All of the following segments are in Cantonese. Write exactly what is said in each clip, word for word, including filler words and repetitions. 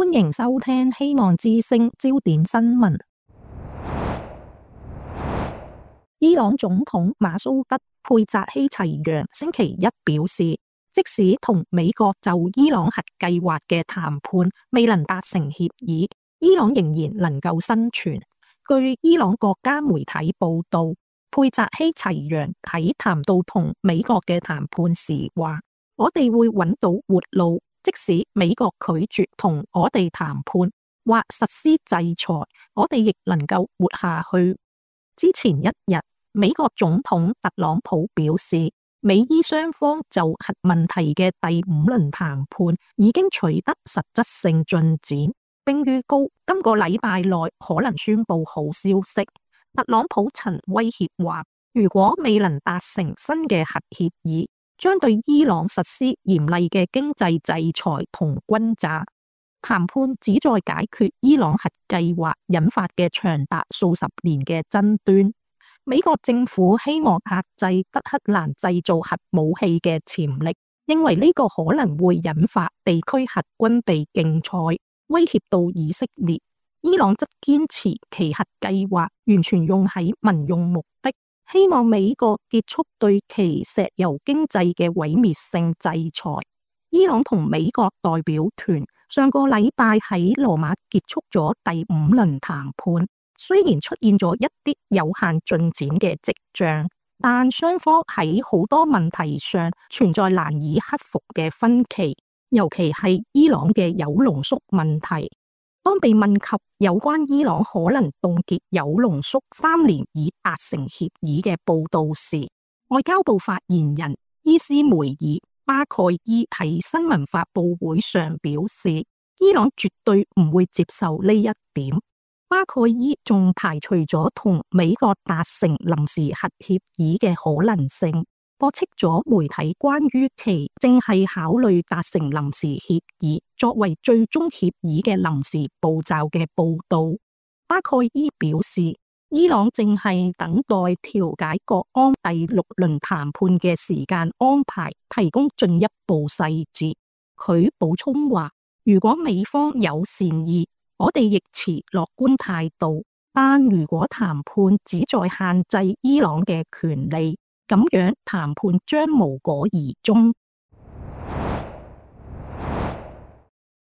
歡迎收聽希望之聲焦點新聞。伊朗總統馬蘇德佩扎希齊揚星期一表示，即使同美國就伊朗核計劃嘅談判未能達成協議，伊朗仍然能夠生存。據伊朗國家媒體報道，佩扎希齊揚喺談到同美國嘅談判時話：我哋會揾到活路，即使美國拒絕同我哋談判或實施制裁，我哋亦能夠活下去。之前一日，美國總統特朗普表示，美伊雙方就核問題嘅第五輪談判已經取得實質性進展，並預告今個禮拜內可能宣布好消息。特朗普曾威脅話，如果未能達成新嘅核協議，將對伊朗實施嚴厲嘅經濟制裁同轟炸。談判旨在解決伊朗核計劃引發嘅長達數十年嘅爭端。美國政府希望壓制德黑蘭製造核武器嘅潛力，認為呢個可能會引發地區核軍備競賽，威脅到以色列。伊朗則堅持其核計劃完全用喺民用目的，希望美國結束對其石油經濟嘅毀滅性制裁。伊朗同美國代表團上個禮拜喺羅馬結束咗第五輪談判。雖然出現咗一啲有限進展嘅跡象，但雙方喺好多問題上存在難以克服嘅分歧，尤其係伊朗嘅鈾濃縮問題。當被問及有關伊朗可能凍結鈾濃縮三年以達成協議嘅報道時，外交部發言人伊斯梅爾巴蓋伊喺新聞發佈會上表示，伊朗絕對唔會接受呢一點。巴蓋伊仲排除咗同美國達成臨時核協議嘅可能性，駁斥咗媒體關於其正係考慮達成臨時協議作為最終協議嘅臨時步驟嘅報道。巴蓋伊表示，伊朗正係等待調解國安第六輪談判嘅時間安排提供進一步細節。佢補充話，如果美方有善意，我哋亦持樂觀態度，但如果談判旨在限制伊朗嘅權利，咁樣談判將無果而終。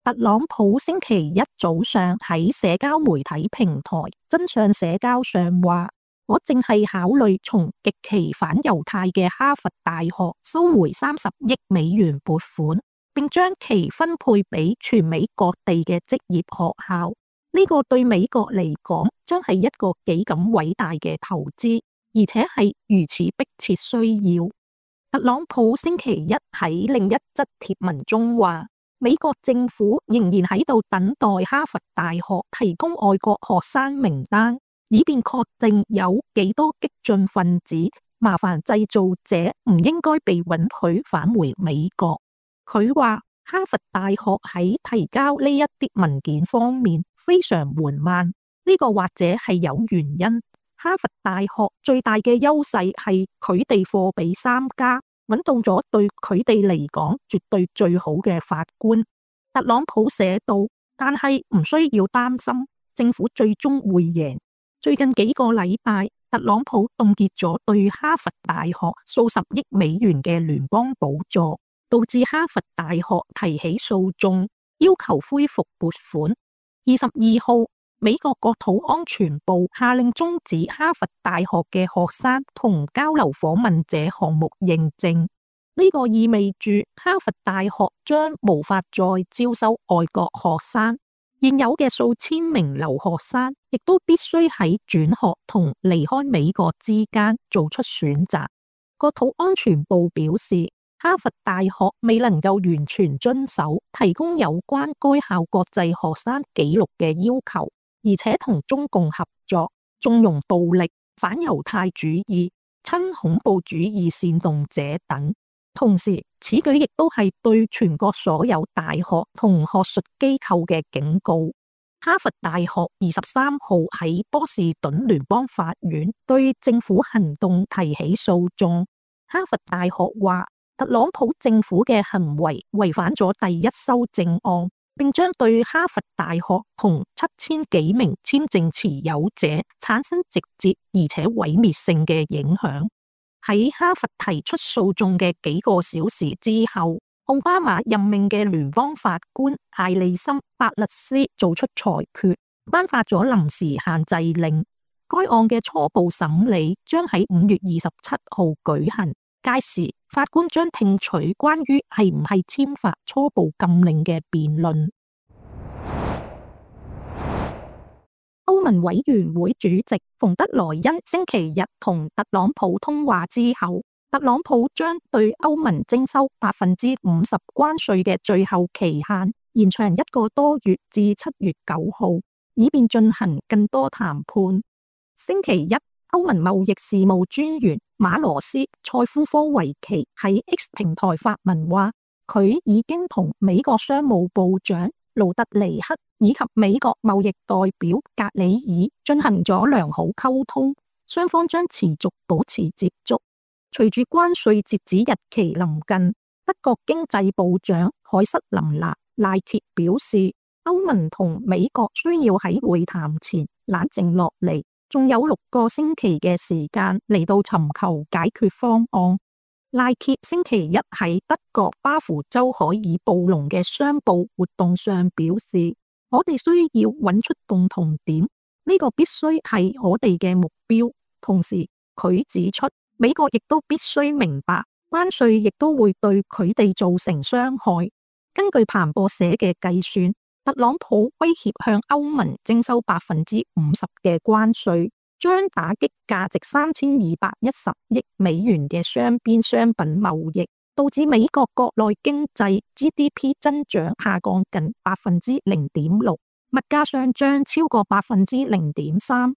特朗普星期一早上喺社交媒體平台真相社交上話，我正係考慮從極其反猶太嘅哈佛大學收回三十億美元撥款，並將其分配俾全美各地嘅職業學校。呢個對美國嚟講將係一個幾咁偉大嘅投資，而且係如此迫切需要。特朗普星期一喺另一則貼文中話，美國政府仍然喺度等待哈佛大學提供外國學生名單，以便確定有幾多激進分子、麻煩製造者唔應該被允許返回美國。佢話哈佛大學喺提交呢一啲文件方面非常緩慢，呢個或者係有原因。哈佛大學最大嘅優勢係佢哋貨比三家，揾到咗對佢哋嚟講絕對最好嘅法官。特朗普寫道，但係唔需要擔心，政府最終會贏。最近幾個禮拜，特朗普凍結咗對哈佛大學數十億美元嘅聯邦補助，導致哈佛大學提起訴訟，要求恢復撥款。二十二號，美國國土安全部下令終止哈佛大學嘅學生同交流訪問者項目認證。呢個意味住哈佛大學將無法再招收外國學生，現有嘅數千名留學生亦都必須喺轉學同離開美國之間做出選擇。國土安全部表示，哈佛大學未能夠完全遵守提供有關該校國際學生紀錄嘅要求，而且同中共合作，縱容暴力、反猶太主義、親恐怖主義煽動者等。同時，此舉亦都係對全國所有大學同學術機構嘅警告。哈佛大學二十三號喺波士頓聯邦法院對政府行動提起訴訟。哈佛大學話，特朗普政府嘅行為違反咗第一修正案，並將對哈佛大學同七千幾名簽證持有者產生直接而且毀滅性嘅影響。喺哈佛提出訴訟嘅幾個小時之後，奧巴馬任命嘅聯邦法官艾利森·伯勒斯做出裁決，頒發咗臨時限制令。該案嘅初步審理將喺五月二十七號舉行，屆時法官將聽取關於係唔係簽發初步禁令嘅辯論。歐盟委員會主席馮德萊恩星期日同特朗普通話之後，特朗普將對歐盟徵收百分之五十關稅嘅最後期限延長一個多月至七月九號，以便進行更多談判。星期一，歐盟貿易事務專員馬羅斯塞夫科維奇喺 X 平台發文話，佢已經同美國商務部長盧特尼克以及美國貿易代表格里爾進行咗良好溝通，雙方將持續保持接觸。隨住關稅截止日期臨近，德國經濟部長凱瑟琳娜賴鐵表示，歐盟同美國需要喺會談前冷靜落嚟，仲有六個星期嘅時間嚟到尋求解決方案。賴鐵星期一喺德國巴夫州海爾布隆嘅商報活動上表示，我哋需要揾出共同點，呢個必須係我哋嘅目標。同時，佢指出，美國亦都必須明白，關稅亦都會對佢哋造成傷害。根據彭博社嘅計算，特朗普威脅向歐盟徵收百分之五十嘅關稅，將打擊價值三千二百一十億美元嘅雙邊商品貿易，導致美國國內經濟 G D P 增長下降近百分之零點六，物價上漲超過百分之零點三。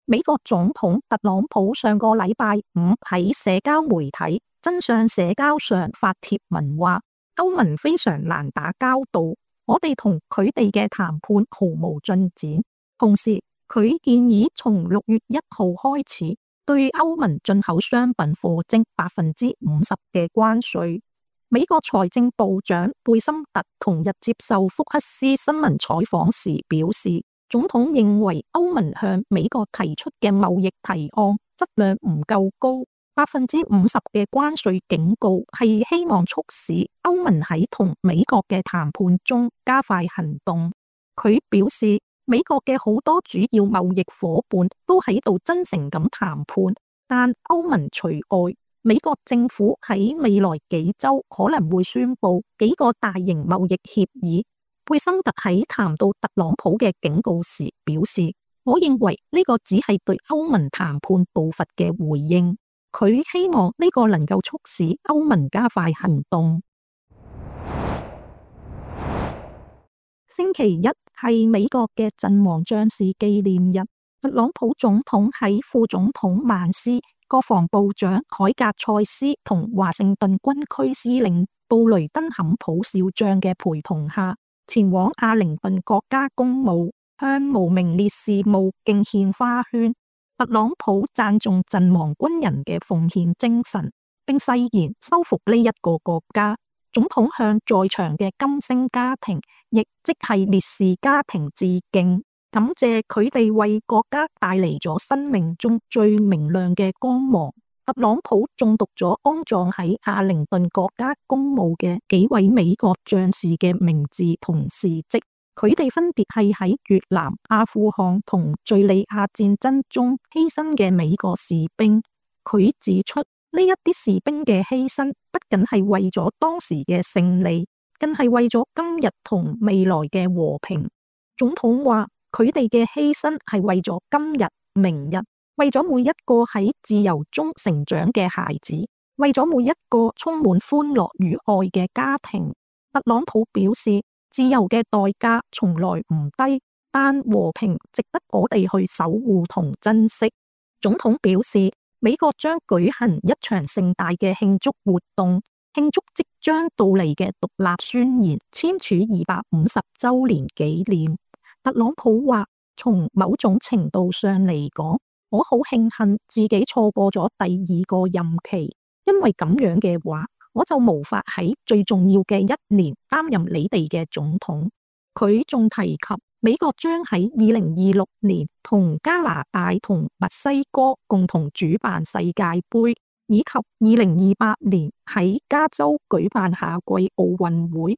美國總統特朗普上個禮拜五喺社交媒體真相社交上發帖文話，歐盟非常難打交道，我哋同佢哋嘅談判毫無進展。同時，佢建議從六月一號開始對歐盟進口商品課徵百分之五十嘅關稅。美國財政部長貝森特同日接受福克斯新聞採訪時表示，總統認為歐盟向美國提出嘅貿易提案質量唔夠高，百分之五十嘅關稅警告係希望促使歐盟喺同美國嘅談判中加快行動。佢表示，美國嘅好多主要貿易夥伴都喺度真誠咁談判，但歐盟除外。美國政府喺未來幾週可能會宣布幾個大型貿易協議。貝森特喺談到特朗普嘅警告時表示，我認為呢個只係對歐盟談判步伐嘅回應。佢希望呢個能夠促使歐盟加快行動。星期一係美國嘅陣亡將士紀念日，特朗普總統喺副總統曼斯、國防部長凱格塞斯同華盛頓軍區司令布雷登坎普少將嘅陪同下，前往阿靈頓國家公墓，向無名烈士墓敬獻花圈。特朗普讚頌陣亡軍人嘅奉獻精神，並誓言收復呢一個國家。總統向在場嘅金星家庭，亦即係烈士家庭致敬，感謝佢哋為國家帶嚟咗生命中最明亮嘅光芒。特朗普誦讀咗安葬喺阿靈頓國家公墓嘅幾位美國將士嘅名字同事蹟，佢哋分別係喺越南、阿富汗同敘利亞戰爭中犧牲嘅美國士兵。佢指出，呢一啲士兵嘅犧牲不僅係為咗當時嘅勝利，更係為咗今日同未來嘅和平。總統話，佢哋嘅犧牲係為咗今日、明日，為咗每一個喺自由中成長嘅孩子，為咗每一個充滿歡樂與愛嘅家庭。特朗普表示，自由嘅代價從來唔低，但和平值得我哋去守護同珍惜。總統表示，美國將舉行一場盛大嘅慶祝活動，慶祝即將到嚟嘅獨立宣言簽署二百五十週年紀念。特朗普話，從某種程度上嚟講，我好慶幸自己錯過咗第二個任期，因為咁樣嘅話，我就無法喺最重要嘅一年擔任你哋嘅總統。佢仲提及美國將喺二零二六年同加拿大同墨西哥共同主辦世界盃，以及二零二八年喺加州舉辦夏季奧運會。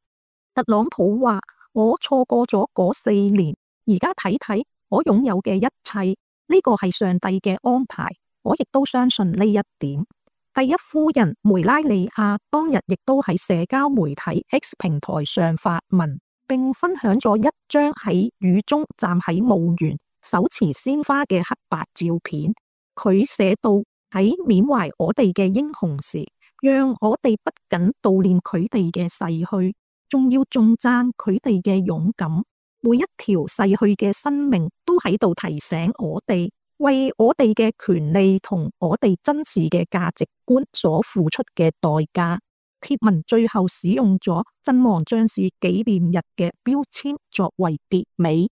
特朗普話：我錯過咗嗰四年，而家睇睇我擁有嘅一切，呢個係上帝嘅安排，我亦都相信呢一點。第一夫人梅拉尼亞當日亦都喺社交媒體 X 平台上發文，並分享咗一張喺雨中站喺墓園手持鮮花嘅黑白照片。佢寫到：喺緬懷我哋嘅英雄時，讓我哋不僅悼念佢哋嘅逝去，仲要頌讚佢哋嘅勇敢。每一條逝去嘅生命都喺度提醒我哋，為我哋嘅權利同我哋珍視嘅價值觀所付出嘅代價。貼文最後使用咗陣亡將士紀念日嘅標籤作為結尾。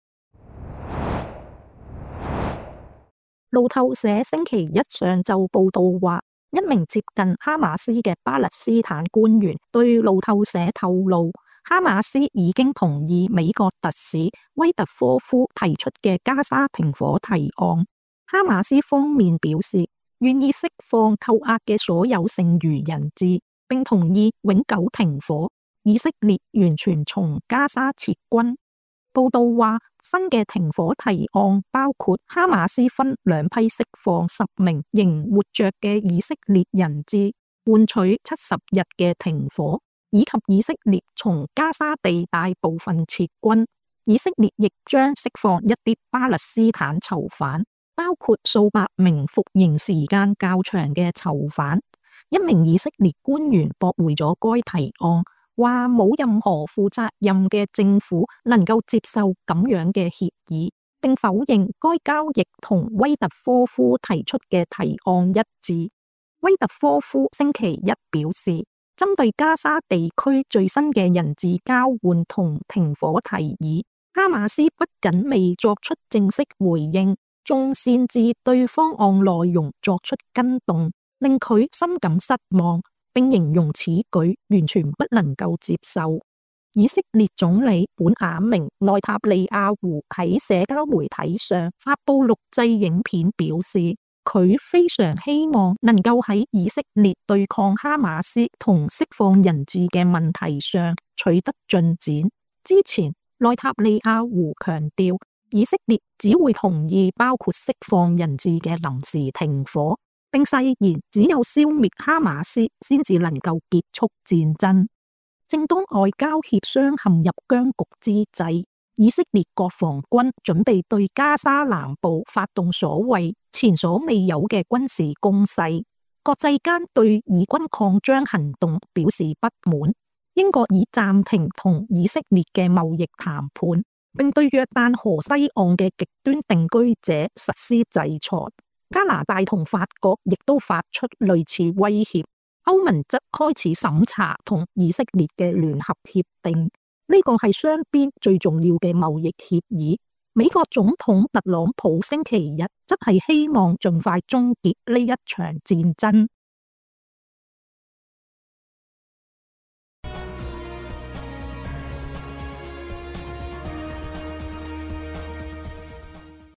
路透社星期一上晝報道話，一名接近哈馬斯嘅巴勒斯坦官員對路透社透露，哈馬斯已經同意美國特使威特科夫提出嘅加沙停火提案。哈馬斯方面表示願意釋放扣押嘅所有剩餘人質，並同意永久停火，以色列完全從加沙撤軍。報道話，新嘅停火提案包括哈馬斯分兩批釋放十名仍活着嘅以色列人質，換取七十日嘅停火，以及以色列從加沙地帶部分撤軍。以色列亦將釋放一啲巴勒斯坦囚犯，包括數百名服刑時間較長嘅囚犯。一名以色列官員駁回咗該提案，話冇任何負責任嘅政府能夠接受咁樣嘅協議，並否認該交易同威特科夫提出嘅提案一致。威特科夫星期一表示，針對加沙地區最新嘅人質交換同停火提議，哈馬斯不僅未作出正式回應，仲擅自對方案內容作出更動，令佢深感失望，並形容此舉完全不能夠接受。以色列總理本雅明內塔尼亞胡喺社交媒體上發佈錄製影片，表示佢非常希望能夠喺以色列對抗哈馬斯同釋放人質嘅問題上取得進展。之前內塔尼亞胡強調，以色列只會同意包括釋放人質嘅臨時停火，並誓言只有消滅哈馬斯先至能夠結束戰爭。正當外交協商陷入僵局之際，以色列國防軍準備對加沙南部發動所謂前所未有嘅軍事攻勢。國際間對以軍擴張行動表示不滿，英國已暫停同以色列嘅貿易談判，並對約旦河西岸嘅極端定居者實施制裁。加拿大同法國亦都發出類似威脅，歐盟則開始審查同以色列嘅聯合協定，呢個係雙邊最重要嘅貿易協議。美國總統特朗普星期日則係希望盡快終結呢一場戰爭。